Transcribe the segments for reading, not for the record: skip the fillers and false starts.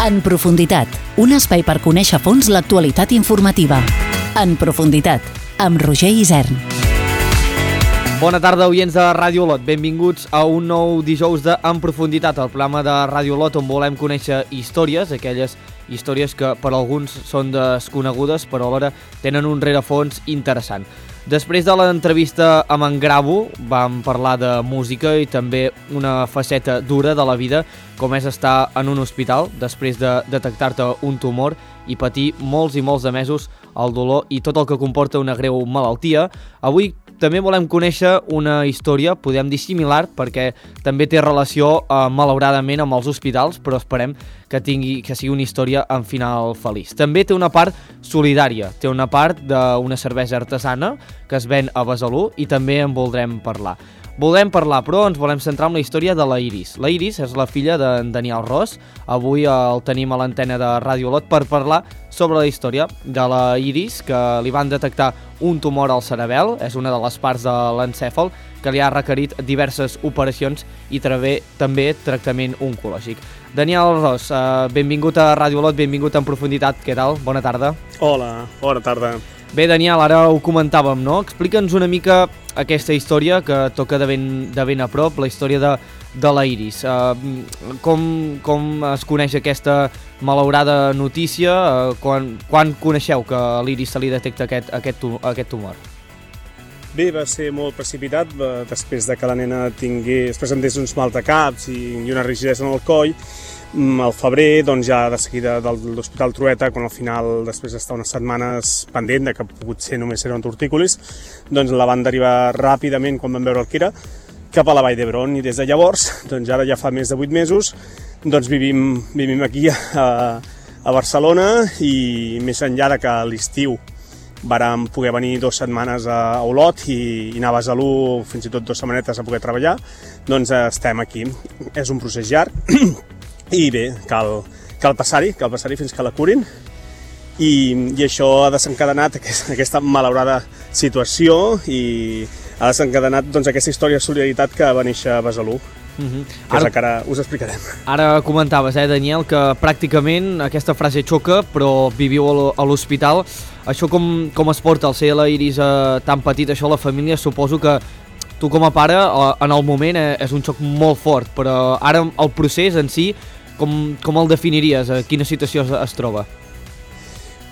En profunditat, un espai per conèixer a fons l'actualitat informativa. En profunditat, amb Roger Isern. Bona tarda, oients de Ràdio Olot. Benvinguts a un nou dijous de En profunditat, el programa de Ràdio Olot on volem conèixer històries, aquelles històries que per alguns són desconegudes però alhora tenen un rerefons interessant. Després de l'entrevista amb en Gravo vam parlar de música i també una faceta dura de la vida, com és estar en un hospital després de detectar-te un tumor i patir molts i molts de mesos el dolor i tot el que comporta una greu malaltia. Avui també volem conèixer una història, podem dir similar, perquè també té relació, malauradament, amb els hospitals, però esperem que sigui una història amb final feliç. També té una part solidària, té una part d'una cervesa artesana que es ven a Besalú i també en voldrem parlar. Però ens volem centrar en la història de la Iris. La Iris és la filla d'en Daniel Ros. Avui el tenim a l'antena de Ràdio Olot per parlar sobre la història de la Iris, que li van detectar un tumor al cerebel, és una de les parts de l'encèfal, que li ha requerit diverses operacions i també tractament oncològic. Daniel Ros, benvingut a Ràdio Olot, benvingut en profunditat, què tal? Bona tarda. Hola, bona tarda. Bé, Daniel, ara ho comentàvem, no? Explica'ns una mica aquesta història que toca de ben a prop, la història de la Iris. Com es coneix aquesta malaurada notícia? Quan coneixeu que a l'Iris se li detecta aquest tumor? Bé, va ser molt precipitat, després de que la nena presentés uns maldecaps i una rigidesa en el coll. Al febrer, doncs ja de seguida de l'Hospital Trueta, quan al final, després d'estar unes setmanes pendent, que potser només eren tortícolis, doncs la van derivar ràpidament, quan van veure el que era, cap a la Vall d'Hebron. I des de llavors, doncs ara ja fa més de 8 mesos, doncs vivim aquí a Barcelona, i més enllà de que a l'estiu vàrem poder venir 2 setmanes a Olot i anar a Besalú fins i tot 2 setmanetes a poder treballar, doncs estem aquí. És un procés llarg i bé, cal passar-hi fins que la curin, i això ha desencadenat aquesta malaurada situació i ha desencadenat doncs, aquesta història de solidaritat que va néixer a Besalú. Que és el que ara us explicarem. Ara comentaves, Daniel, que pràcticament aquesta frase xoca, però viviu a l'hospital. Això com es porta al ser la Iris tan petita, això la família? Suposo que tu com a pare en el moment és un xoc molt fort, però ara el procés en si com el definiries? A quina situació es troba?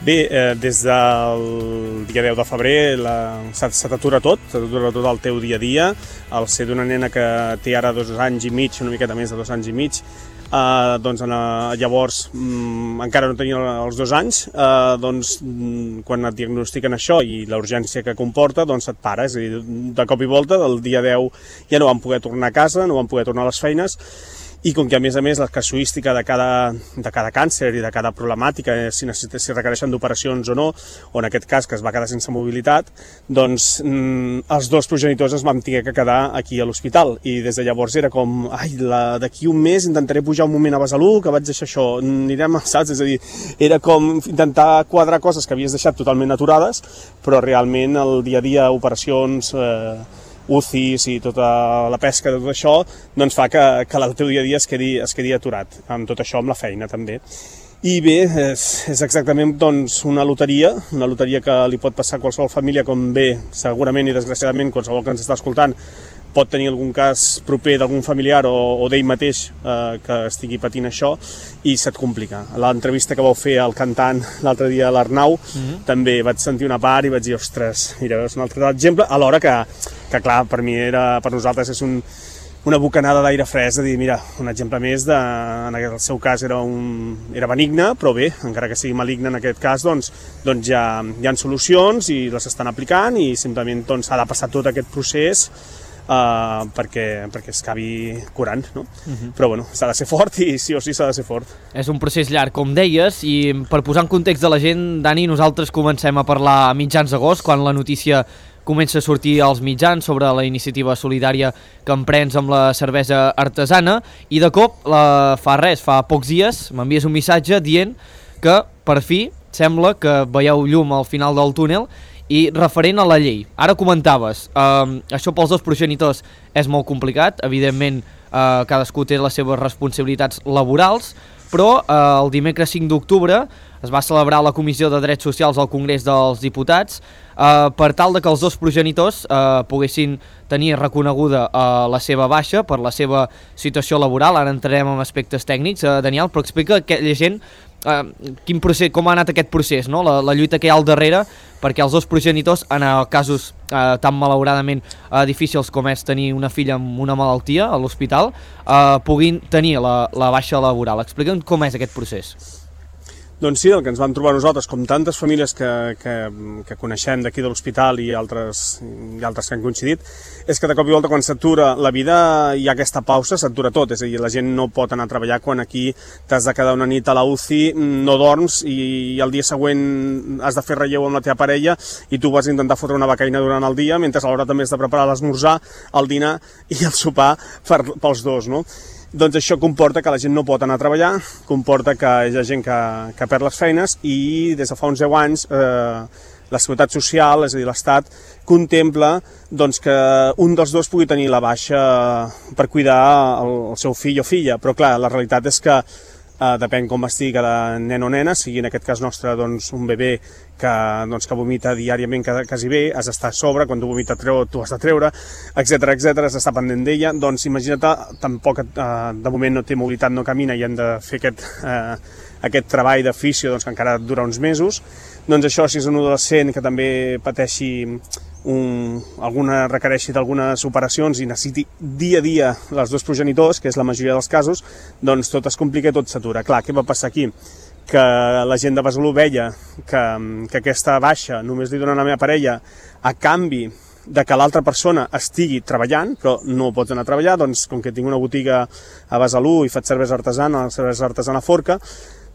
Bé, des del dia 10 de febrer se t'atura tot el teu dia a dia. Al ser d'una nena que té ara 2 anys i mig, una miqueta més de 2 anys i mig, doncs llavors encara no tenia els 2 anys, doncs quan et diagnostiquen això i la urgència que comporta, doncs et pares, i de cop i volta del dia 10 ja no vam poder tornar a casa, no vam poder tornar a les feines. I com que a més la casuística de cada càncer i de cada problemàtica, si requereixen d'operacions o no, o en aquest cas que es va quedar sense mobilitat, doncs els 2 progenitors ens vam haver que quedar aquí a l'hospital. I des de llavors era com, d'aquí un mes intentaré pujar un moment a Besalú, que vaig deixar això, anirem, saps? És a dir, era com intentar quadrar coses que havies deixat totalment aturades, però realment el dia a dia, operacions, UCIs i tota la pesca de tot això, doncs fa que el teu dia a dia es quedi aturat, amb tot això, amb la feina també. I bé, és exactament doncs, una loteria que li pot passar a qualsevol família, com bé, segurament i desgraciadament, qualsevol que ens està escoltant pot tenir algun cas proper d'algun familiar o d'ell mateix que estigui patint això, i se't complica. A l'entrevista que vau fer al cantant l'altre dia a l'Arnau, també vaig sentir una part i vaig dir, ostres, mira, és un altre exemple, alhora que clar, per nosaltres és una bocanada d'aire fresc, de dir, mira, un exemple més, en el seu cas era benigne, però bé, encara que sigui maligne en aquest cas, doncs ja hi ha solucions i les estan aplicant, i simplement s'ha de passar tot aquest procés perquè es acabi curant, no? Però bueno, s'ha de ser fort, i sí o sí s'ha de ser fort. És un procés llarg, com deies, i per posar en context de la gent, Dani, nosaltres comencem a parlar a mitjans d'agost, quan la notícia comença a sortir als mitjans sobre la iniciativa solidària que emprens amb la cervesa artesana, i de cop, fa pocs dies, m'envies un missatge dient que, per fi, sembla que veieu llum al final del túnel, i referent a la llei. Ara comentaves, això pels 2 progenitors és molt complicat, evidentment cadascú té les seves responsabilitats laborals, però el dimecres 5 d'octubre es va celebrar la Comissió de Drets Socials al Congrés dels Diputats per tal de que els dos progenitors poguessin tenir reconeguda la seva baixa per la seva situació laboral. Ara entrarem en aspectes tècnics, Daniel, però explica a aquella gent quin procés, com ha anat aquest procés, no? La lluita que hi ha al darrere perquè els dos progenitors, en casos tan malauradament difícils com és tenir una filla amb una malaltia a l'hospital, puguin tenir la baixa laboral. Explica'm com és aquest procés. Doncs sí, el que ens vam trobar nosaltres, com tantes famílies que coneixem d'aquí de l'hospital i altres que han coincidit, és que de cop i volta quan s'atura la vida hi ha aquesta pausa, s'atura tot, és a dir, la gent no pot anar a treballar quan aquí t'has de quedar una nit a la UCI, no dorms i el dia següent has de fer relleu amb la teva parella i tu vas intentar fotre una becaina durant el dia, mentre alhora també has de preparar l'esmorzar, el dinar i el sopar pels dos, no? Doncs això comporta que la gent no pot anar a treballar, comporta que hi ha gent que perd les feines i des de fa uns 10 anys la Seguretat Social, és a dir, l'Estat, contempla doncs, que un dels dos pugui tenir la baixa per cuidar el seu fill o filla, però clar, la realitat és que depèn com estigui cada nen o nena, sigui en aquest cas nostre doncs, un bebè que vomita diàriament quasi bé, has d'estar a sobre, quan tu vomita tu has de treure, etc, has d'estar pendent d'ella, doncs imagina't, tampoc de moment no té mobilitat, no camina i hem de fer aquest treball de fisio doncs, que encara dura uns mesos, doncs això si és un adolescent que també pateixi requereixi d'algunes operacions i necessiti dia a dia els dos progenitors, que és la majoria dels casos, doncs tot es complica i tot s'atura. Clar, què va passar aquí? Que la gent de Besalú veia que aquesta baixa només li donen a la meva parella a canvi de que l'altra persona estigui treballant, però no pots anar a treballar, doncs com que tinc una botiga a Besalú i faig cervesa artesana Forca,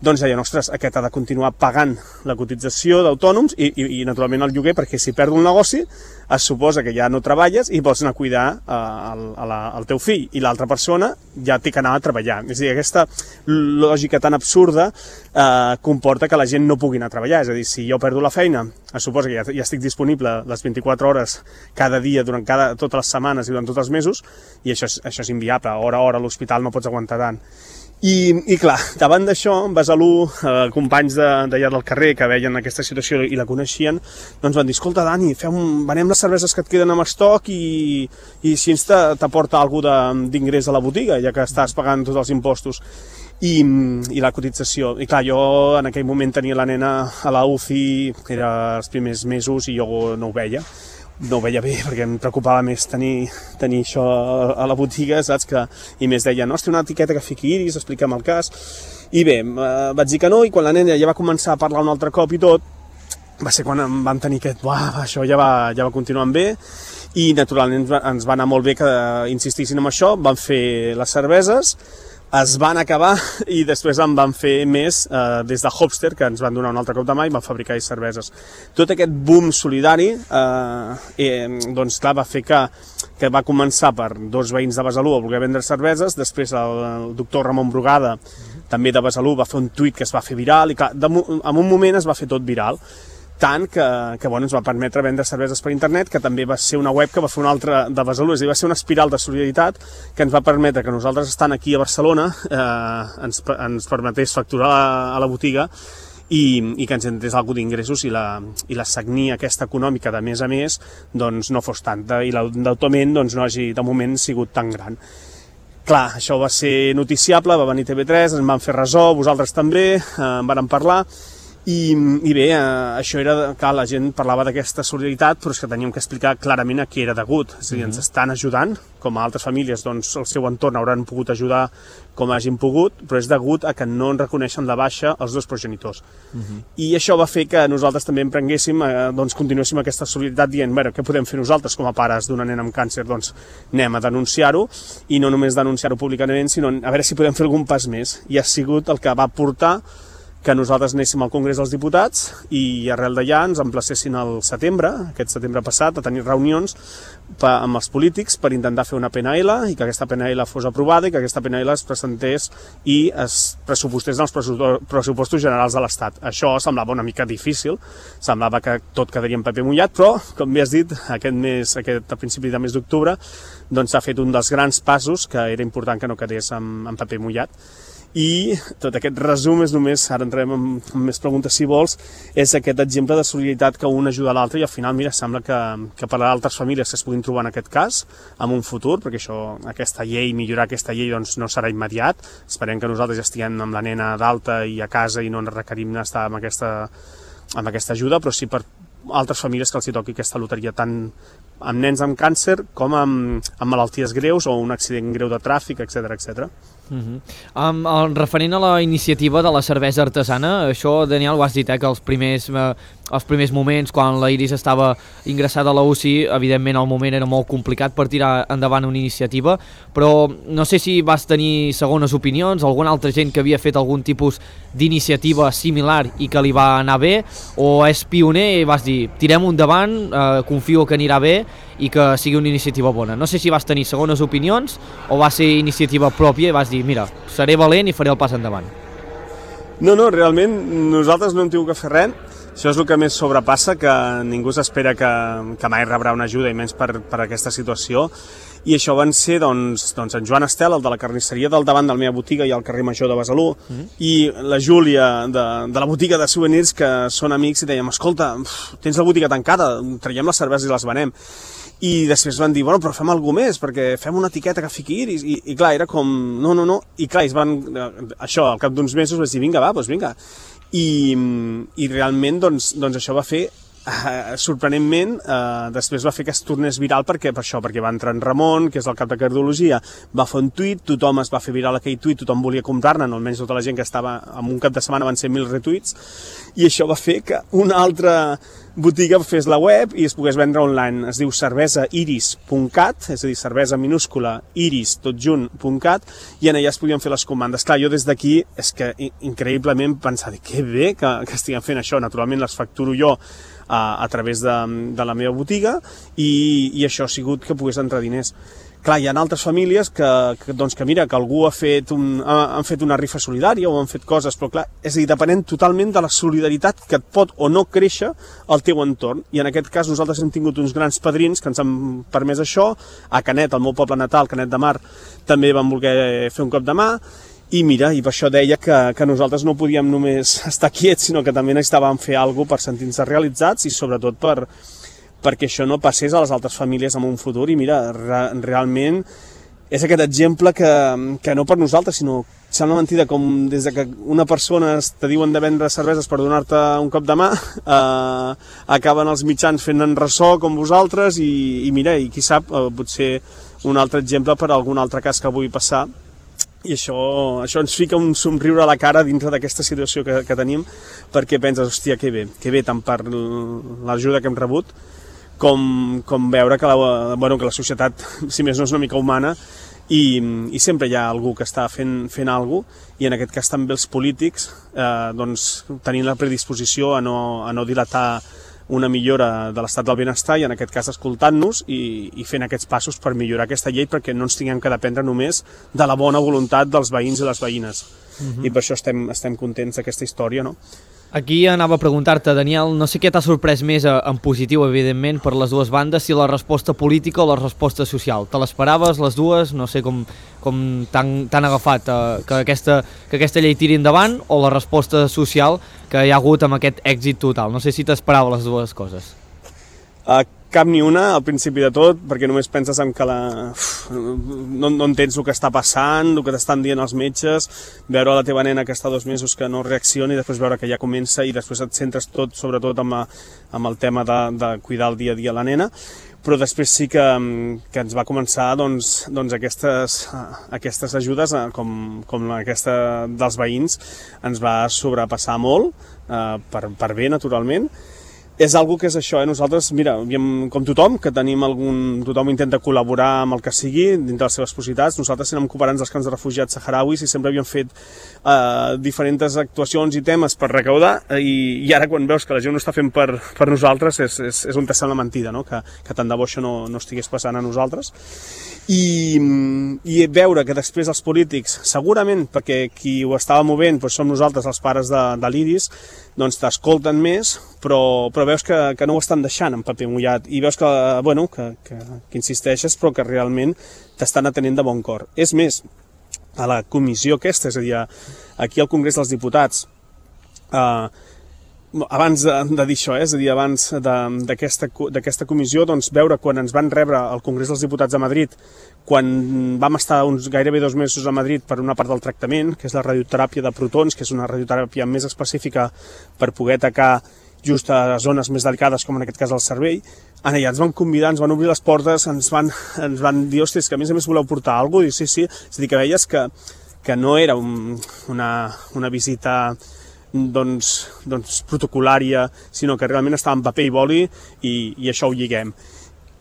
doncs deien, ostres, aquest ha de continuar pagant la cotització d'autònoms i naturalment el lloguer, perquè si perdo el negoci es suposa que ja no treballes i pots anar a cuidar el teu fill i l'altra persona ja té que anar a treballar. És a dir, aquesta lògica tan absurda comporta que la gent no pugui anar a treballar. És a dir, si jo perdo la feina, es suposa que ja estic disponible les 24 hores cada dia durant totes les setmanes i durant tots els mesos i això és inviable. A hora a l'hospital no pots aguantar tant. I clar, davant d'això, Besalú, companys d'allà del carrer que veien aquesta situació i la coneixien, doncs van dir, escolta Dani, venem les cerveses que et queden amb estoc i si ens t'aporta alguna d'ingrés a la botiga, ja que estàs pagant tots els impostos i la cotització. I clar, jo en aquell moment tenia la nena a la UCI, que era els primers mesos i jo no ho veia. No ho veia bé perquè em preocupava més tenir això a la botiga, saps? I més deia, no, té una etiqueta que fiqui iris, explica'm el cas. I bé, vaig dir que no, i quan la nena ja va començar a parlar un altre cop i tot, va ser quan vam tenir això ja va continuant bé, i naturalment ens va anar molt bé que insistissin en això, van fer les cerveses, es van acabar i després en van fer més des de Hopster, que ens van donar un altre cop de mà i van fabricar cerveses. Tot aquest boom solidari doncs clar, va fer que va començar per dos veïns de Besalú a voler vendre cerveses, després el doctor Ramon Brugada, també de Besalú, va fer un tuit que es va fer viral i clar, en un moment es va fer tot viral. Tant que ens va permetre vendre cerveses per internet, que també va ser una web que va fer una altra de Besalú, és a dir, va ser una espiral de solidaritat que ens va permetre que nosaltres, estant aquí a Barcelona, ens permetés facturar a la botiga i que ens entrés alguna d'ingressos i la sagnia aquesta econòmica de mes a mes doncs no fos tanta i l'endeutament doncs no hagi de moment sigut tan gran. Clar, això va ser noticiable, va venir TV3, ens van fer ressò, vosaltres també, en vàrem parlar. I bé, això era que la gent parlava d'aquesta solidaritat, però és que teníem que explicar clarament a què era degut. És a dir, ens estan ajudant, com a altres famílies, doncs el seu entorn hauran pogut ajudar com hagin pogut, però és degut a que no en reconeixen la baixa els dos progenitors. I això va fer que nosaltres també emprenguéssim, doncs continuéssim aquesta solidaritat dient, bé, què podem fer nosaltres com a pares d'una nena amb càncer? Doncs anem a denunciar-ho, i no només denunciar-ho públicament, sinó a veure si podem fer algun pas més. I ha sigut el que va portar que nosaltres anéssim al Congrés dels Diputats i arrel d'allà ens emplacessin al setembre, aquest setembre passat, a tenir reunions amb els polítics per intentar fer una PNL i que aquesta PNL fos aprovada i que aquesta PNL es presentés i es pressupostés en els pressupostos generals de l'Estat. Això semblava una mica difícil, semblava que tot quedaria en paper mullat, però, com bé has dit, a principi de mes d'octubre doncs s'ha fet un dels grans passos que era important que no quedés en paper mullat. I tot aquest resum és només, ara entrem en més preguntes si vols, és aquest exemple de solidaritat que un ajuda l'altre i al final, mira, sembla que per a altres famílies que es puguin trobar en aquest cas, en un futur, perquè aquesta llei, millorar aquesta llei doncs no serà immediat, esperem que nosaltres ja estiguem amb la nena d'alta i a casa i no ens requerim estar amb aquesta ajuda, però sí per altres famílies que els hi toqui aquesta loteria tant amb nens amb càncer com amb malalties greus o un accident greu de tràfic, etc etc. Referent a la iniciativa de la cervesa artesana, això, Daniel, ho has dit, que els primers moments, quan la Iris estava ingressada a la UCI, evidentment el moment era molt complicat per tirar endavant una iniciativa, però no sé si vas tenir segones opinions, alguna altra gent que havia fet algun tipus d'iniciativa similar i que li va anar bé, o és pioner i vas dir, tirem endavant, confio que anirà bé i que sigui una iniciativa bona. No sé si vas tenir segones opinions o va ser iniciativa pròpia i vas dir, mira, seré valent i faré el pas endavant. No, realment nosaltres no hem tingut que fer res. Això és el que més sobrepassa, que ningú s'espera que mai rebrà una ajuda i menys per aquesta situació. I això van ser doncs, en Joan Estel, el de la carnisseria del davant de la meva botiga i al carrer Major de Besalú, i la Júlia de la botiga de souvenirs, que són amics, i dèiem, escolta, tens la botiga tancada, traiem les cerveses i les venem. I després van dir, bueno, però fem alguna més, perquè fem una etiqueta que fiqui Iris, i clar, era com, no, i clar, això, al cap d'uns mesos vaig dir, vinga, doncs vinga. I realment, doncs això va fer, sorprenentment, després va fer que es tornés viral perquè va entrar en Ramon, que és el cap de cardiologia, va fer un tuit, tothom es va fer viral aquell tuit, tothom volia comprar-ne, almenys tota la gent que estava en un cap de setmana van ser 1.000 retuits, i això va fer que una altra botiga fes la web i es pogués vendre online. Es diu cervesairis.cat, és a dir, cervesa minúscula, iris, tot junt.cat, i en allà es podien fer les comandes. Clar, jo des d'aquí és que increïblement pensava, que bé que estiguem fent això, naturalment les facturo jo a través de la meva botiga i això ha sigut que pogués entrar diners. Clar, hi ha altres famílies que mira, que algú han fet una rifa solidària o han fet coses, però clar, és a dir, depenent totalment de la solidaritat que et pot o no créixer al teu entorn. I en aquest cas nosaltres hem tingut uns grans padrins que ens han permès això. A Canet, el meu poble natal, Canet de Mar, també van voler fer un cop de mà. I mira, i per això deia que nosaltres no podíem només estar quiets, sinó que també necessitàvem fer alguna cosa per sentir-nos realitzats i sobretot perquè això no passés a les altres famílies en un futur. I mira, realment és aquest exemple que no per nosaltres, sinó sembla mentida, com des que una persona te diuen de vendre cerveses per donar-te un cop de mà, acaben els mitjans fent en ressò com vosaltres i mira, i qui sap, potser un altre exemple per algun altre cas que pugui passar. I això ens fica un somriure a la cara dintre d'aquesta situació que tenim, perquè penses, hòstia, que bé, tant per l'ajuda que hem rebut, com veure que la societat, si més no, és una mica humana, i sempre hi ha algú que està fent alguna cosa, i en aquest cas també els polítics, tenint la predisposició a no dilatar una millora de l'estat del benestar i en aquest cas escoltant-nos i fent aquests passos per millorar aquesta llei perquè no ens tinguem que dependre només de la bona voluntat dels veïns i les veïnes. I per això estem contents d'aquesta història, no? Aquí anava a preguntar-te, Daniel, no sé què t'ha sorprès més en positiu, evidentment, per les dues bandes, si la resposta política o la resposta social. Te l'esperaves, les dues? No sé com t'han agafat que aquesta llei tiri endavant, o la resposta social que hi ha hagut amb aquest èxit total. No sé si t'esperava les dues coses. Cap ni una, al principi de tot, perquè només penses en que no entens el que està passant, el que t'estan dient els metges, veure la teva nena que està 2 mesos que no reacciona i després veure que ja comença i després et centres sobretot amb el tema de cuidar el dia a dia la nena, però després sí que ens va començar aquestes ajudes, com aquesta dels veïns, ens va sobrepassar molt, per bé, naturalment. És algo que és això, nosaltres, mira, com tothom, que tothom intenta col·laborar amb el que sigui, dintre les seves possibilitats. Nosaltres érem cooperants dels camps de refugiats saharauis i sempre havíem fet diferents actuacions i temes per recaudar, i ara quan veus que la gent no està fent per nosaltres és on te sembla mentida, no? Que tant de bo això no estigués passant a nosaltres. i veure que després els polítics, segurament perquè qui ho estava movent doncs som nosaltres, els pares de l'Iris, doncs t'escolten més, però veus que no ho estan deixant en paper mullat i veus que insisteixes però que realment t'estan atenent de bon cor. És més, a la comissió aquesta, és a dir, aquí al Congrés dels Diputats, abans de dir això, és a dir, abans d'aquesta comissió, doncs veure quan ens van rebre al Congrés dels Diputats a Madrid, quan vam estar gairebé 2 mesos a Madrid per una part del tractament, que és la radioteràpia de protons, que és una radioteràpia més específica per poder atacar just a zones més delicades, com en aquest cas el cervell. Allà ens van convidar, ens van obrir les portes, ens van dir, hòstia, que a més voleu portar alguna cosa? I sí. És a dir, que veies que no era una visita protocolària, sinó que realment estava en paper i boli i això ho lliguem.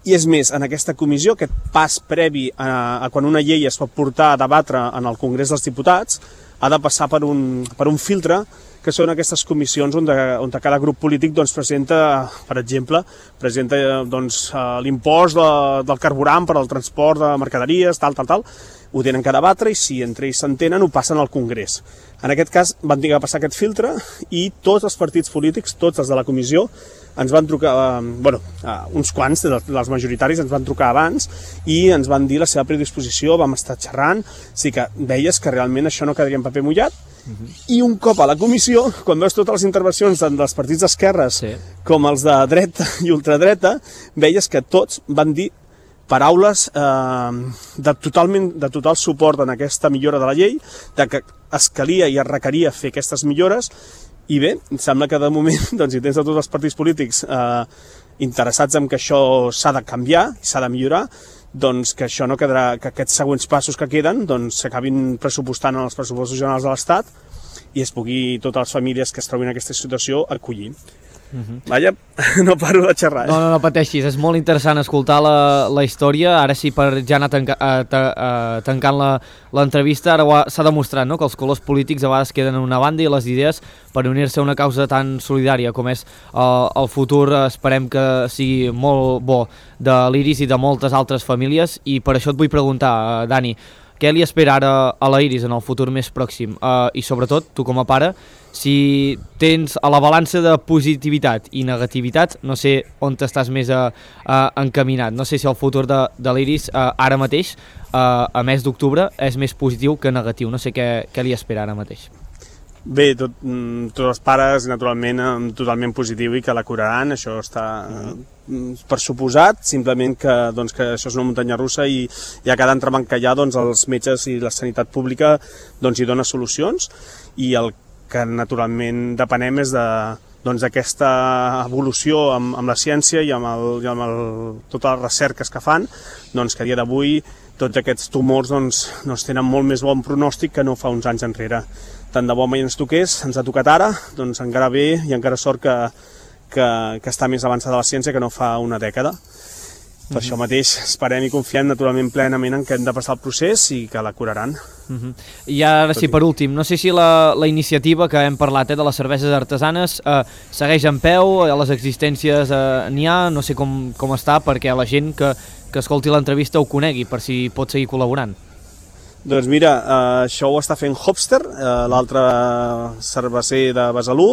I és més, en aquesta comissió, aquest pas previ a quan una llei es pot portar a debatre en el Congrés dels Diputats, ha de passar per un filtre, que són aquestes comissions on cada grup polític presenta, per exemple, l'impost del carburant per al transport de mercaderies, tal, ho tenen que debatre i si entre ells s'entenen ho passen al Congrés. En aquest cas van tenir que passar aquest filtre i tots els partits polítics, tots els de la comissió, ens van trucar, uns quants dels majoritaris ens van trucar abans i ens van dir la seva predisposició, vam estar xerrant, sí que veies que realment això no quedaria en paper mullat. I un cop a la comissió, quan veus totes les intervencions tant dels partits d'esquerres com els de dreta i ultradreta, veies que tots van dir paraules de total suport en aquesta millora de la llei, de que es calia i es requeria fer aquestes millores. I bé, em sembla que de moment, si tens tots els partits polítics interessats en que això s'ha de canviar i s'ha de millorar, doncs que això no quedarà, que aquests següents passos que queden s'acabin pressupostant en els pressupostos generals de l'Estat i es pugui totes les famílies que es trobin en aquesta situació acollir. Vaja, no paro de xerrar. No pateixis, és molt interessant escoltar la història. Ara sí, per ja anar tancant l'entrevista, ara s'ha demostrat que els colors polítics a vegades queden en una banda i les idees per unir-se a una causa tan solidària com és el futur, esperem que sigui molt bo, de l'Iris i de moltes altres famílies. I per això et vull preguntar, Dani, què li espera ara a la Iris en el futur més pròxim? I sobretot, tu com a pare, si tens a la balança de positivitat i negativitat, no sé on t'estàs més encaminat. No sé si el futur de l'Iris ara mateix, a mes d'octubre, és més positiu que negatiu. No sé què li espera ara mateix. Bé, tots els pares, naturalment, totalment positiu i que la curaran, això està per suposat, simplement que això és una muntanya russa i a cada entrebancallà els metges i la sanitat pública hi dona solucions i el que naturalment depenem és d'aquesta evolució amb la ciència i amb totes les recerques que fan, que a dia d'avui tots aquests tumors tenen molt més bon pronòstic que no fa uns anys enrere. Tant de bo mai ens toqués, ens ha tocat ara, encara bé i encara sort que està més avançada la ciència que no fa una dècada. Per això mateix esperem i confiem naturalment plenament en que hem de passar el procés i que la curaran. I ara sí, per últim, no sé si la iniciativa que hem parlat de les cerveses artesanes segueix en peu, a les existències n'hi ha, no sé com està perquè la gent que escolti l'entrevista ho conegui, per si pot seguir col·laborant. Doncs mira, això ho està fent Hopster, l'altre cerveser de Besalú,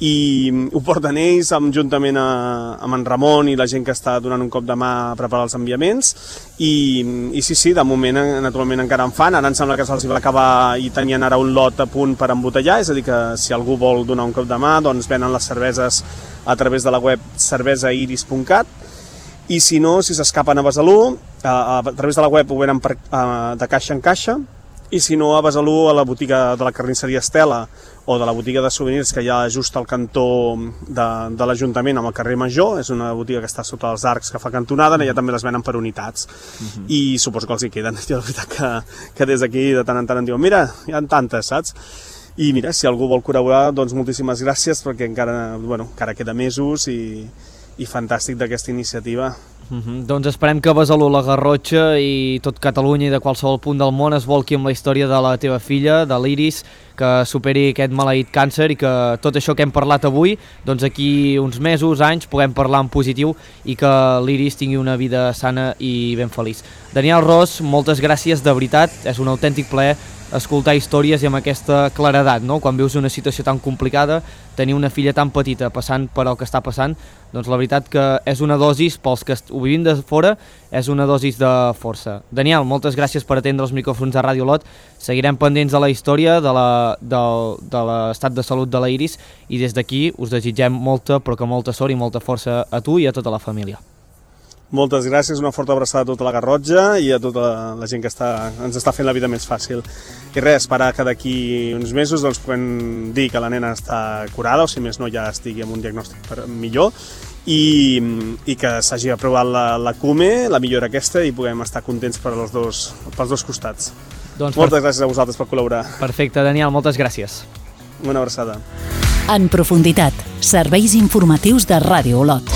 i ho porten ells juntament amb en Ramon i la gent que està donant un cop de mà a preparar els enviaments, i sí, de moment naturalment encara en fan, ara em sembla que se'ls va acabar i tenien ara un lot a punt per embotellar, és a dir que si algú vol donar un cop de mà, venen les cerveses a través de la web cervesairis.cat, i si no, si s'escapen a Besalú, a través de la web ho venen de caixa en caixa, i si no, a Besalú, a la botiga de la carnisseria Estela o de la botiga de souvenirs que hi ha just al cantó de l'Ajuntament amb el carrer Major, és una botiga que està sota els arcs que fa cantonada, allà també les venen per unitats, i suposo que els hi queden. Jo la veritat que des d'aquí de tant en tant em diuen, mira, hi ha tantes, saps? I mira, si algú vol col·laborar, doncs moltíssimes gràcies, perquè encara queda mesos i fantàstic d'aquesta iniciativa. Doncs esperem que Besalú, la Garrotxa i tot Catalunya i de qualsevol punt del món es volqui amb la història de la teva filla, de l'Iris, que superi aquest maleït càncer i que tot això que hem parlat avui, doncs aquí uns mesos, anys, puguem parlar en positiu i que l'Iris tingui una vida sana i ben feliç. Daniel Ros, moltes gràcies, de veritat, és un autèntic plaer escoltar històries i amb aquesta claredat, no? Quan vius una situació tan complicada, tenir una filla tan petita passant per el que està passant, doncs la veritat que és una dosis, pels que ho vivim de fora, és una dosis de força. Daniel, moltes gràcies per atendre els micròfons de Ràdio Lot. Seguirem pendents de la història, de l'estat de salut de la Iris, i des d'aquí us desitgem molta, però que molta sort i molta força a tu i a tota la família. Moltes gràcies, una forta abraçada a tota la Garrotxa i a tota la gent que ens està fent la vida més fàcil. I res, esperar que d'aquí uns mesos doncs, puguem dir que la nena està curada, o si més no ja estigui amb un diagnòstic millor, i que s'hagi aprovat la CUME, la millora aquesta, i puguem estar contents pels dos costats. Doncs moltes gràcies a vosaltres per col·laborar. Perfecte, Daniel, moltes gràcies. Una abraçada. En profunditat, serveis informatius de Ràdio Olot.